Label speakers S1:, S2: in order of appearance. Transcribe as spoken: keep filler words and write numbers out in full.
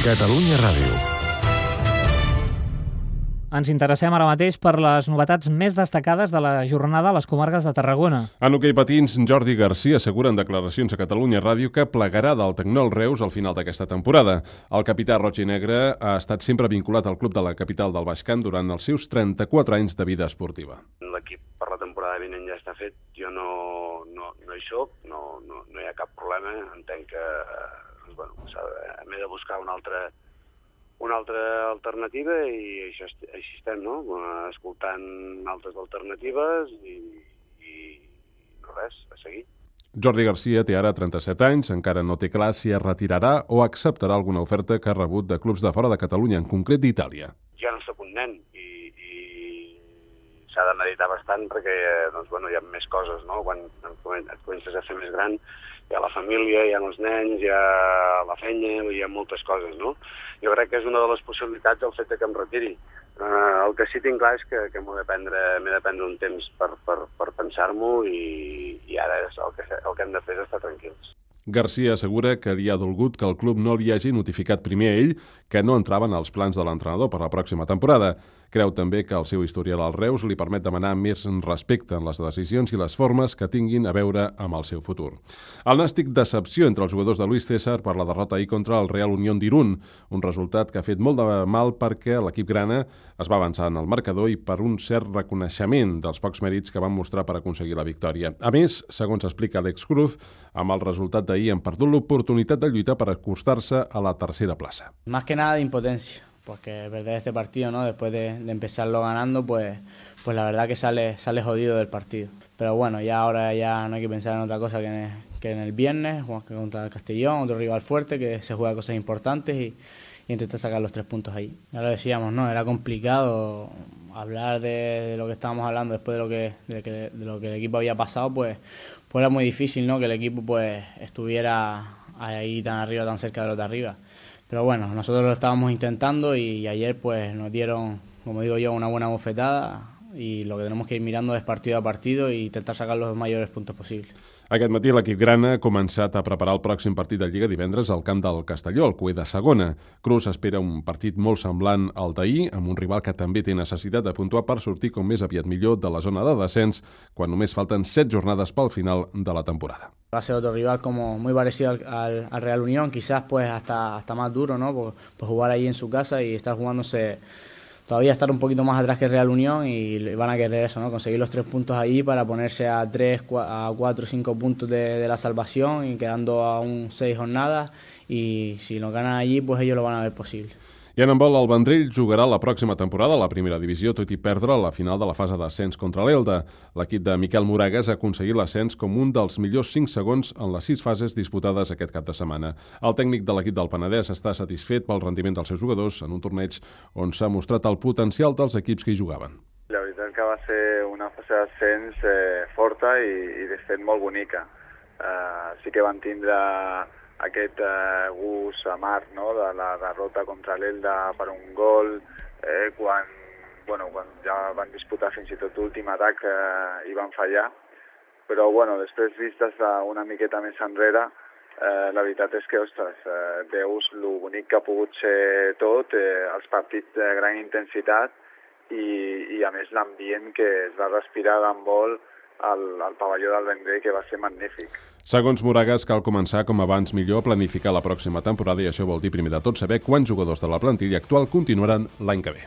S1: Catalunya Ràdio.
S2: Ens interessem ara mateix per les novetats més destacades de la jornada a les comarques de Tarragona.
S3: En hoquei patins, Jordi Garcia assegura en declaracions a Catalunya Ràdio que plegarà del Tecnol Reus al final d'aquesta temporada. El capità roig i negre ha estat sempre vinculat al club de la capital del Baix Camp durant els seus trenta-quatre anys de vida esportiva.
S4: L'equip per la temporada vinent ja està fet, jo no, no, no hi soc, no, no, no hi ha cap problema, entenc que doncs, bueno, m'he de buscar una altra... una altra alternativa i això, així estem, no? Escoltant altres alternatives i, i no res, a seguir.
S3: Jordi Garcia té ara trenta-set anys, encara no té clar si es retirarà o acceptarà alguna oferta que ha rebut de clubs de fora de Catalunya, en concret d'Itàlia.
S4: Ja no soc un nen i, i s'ha de meditar bastant perquè doncs, bueno, hi ha més coses, no? Quan et comences a fer més gran, hi ha la família, hi ha els nens, hi ha la feina, hi ha moltes coses, no? Jo crec que és una de les possibilitats el fet de que em retiri. Uh, el que sí tinc clar és que, que m'he de prendre, m'he de prendre un temps per, per, per pensar-m'ho i, i ara és el, que, el que hem de fer és estar tranquils.
S3: Garcia assegura que li ha dolgut que el club no li hagi notificat primer a ell que no entraven als plans de l'entrenador per la pròxima temporada. Creu també que el seu historial al Reus li permet demanar més respecte en les decisions i les formes que tinguin a veure amb el seu futur. El nàstic decepció entre els jugadors de Luis César per la derrota ahir contra el Real Unión d'Irún, un resultat que ha fet molt de mal perquè l'equip grana es va avançar en el marcador i per un cert reconeixement dels pocs mèrits que van mostrar per aconseguir la victòria. A més, segons explica Alex Cruz, amb el resultat d'ahir han perdut l'oportunitat de lluitar per acostar-se a la tercera plaça.
S5: Más que nada de impotencia. Porque perder este partido, ¿no? Después de, de empezarlo ganando, pues, pues la verdad que sale, sale jodido del partido. Pero bueno, ya ahora ya no hay que pensar en otra cosa que en el, que en el viernes, contra el Castellón, otro rival fuerte, que se juega cosas importantes y, y intentar sacar los tres puntos ahí. Ya lo decíamos, ¿no? Era complicado hablar de, de lo que estábamos hablando después de lo que, de, que, de lo que el equipo había pasado, pues, pues era muy difícil, ¿no? Que el equipo pues estuviera ahí tan arriba, tan cerca de los de arriba. Pero bueno, nosotros lo estábamos intentando y ayer pues nos dieron, como digo yo, una buena bofetada y lo que tenemos que ir mirando es partido a partido e intentar sacar los mayores puntos posibles.
S3: Aquest matí l'equip grana ha començat a preparar el pròxim partit de Lliga divendres al camp del Castelló, al Cué de segona. Cruz espera un partit molt semblant al d'ahir, amb un rival que també té necessitat de puntuar per sortir com més aviat millor de la zona de descens, quan només falten set jornades pel final de la temporada.
S5: Va a ser otro rival como muy parecido al, al, al Real Unión, quizás pues hasta, hasta más duro, ¿no? Por, por jugar ahí en su casa y estar jugándose... todavía estar un poquito más atrás que el Real Unión y van a querer eso, ¿no? Conseguir los tres puntos ahí para ponerse a tres, a cuatro, cinco puntos de, de la salvación y quedando a un seis jornadas y si lo ganan allí, pues ellos lo van a ver posible.
S3: I en handbol, el Vendrell jugarà la pròxima temporada a la primera divisió, tot i perdre la final de la fase d'ascens contra l'Elda. L'equip de Miquel Moragas ha aconseguit l'ascens com un dels millors cinc segons en les sis fases disputades aquest cap de setmana. El tècnic de l'equip del Penedès està satisfet pel rendiment dels seus jugadors en un torneig on s'ha mostrat el potencial dels equips que hi jugaven.
S6: La veritat que va ser una fase d'ascens eh, forta i, i de fet molt bonica. Uh, sí que van tindre aquest eh, gust amarg, no?, de la derrota contra l'Elda per un gol, eh, quan, bueno, quan ja van disputar fins i tot l'últim atac eh, i van fallar. Però bueno, després vistes una miqueta més enrere, eh, la veritat és que, ostres, eh, veus lo bonic que ha pogut ser tot, eh, els partits de gran intensitat i, i a més l'ambient que es va respirar d'handbol al, al pavelló del Vendrell, que va ser magnífic.
S3: Segons Moragas, cal començar com abans millor a planificar la pròxima temporada i això vol dir primer de tot saber quants jugadors de la plantilla actual continuaran l'any que ve.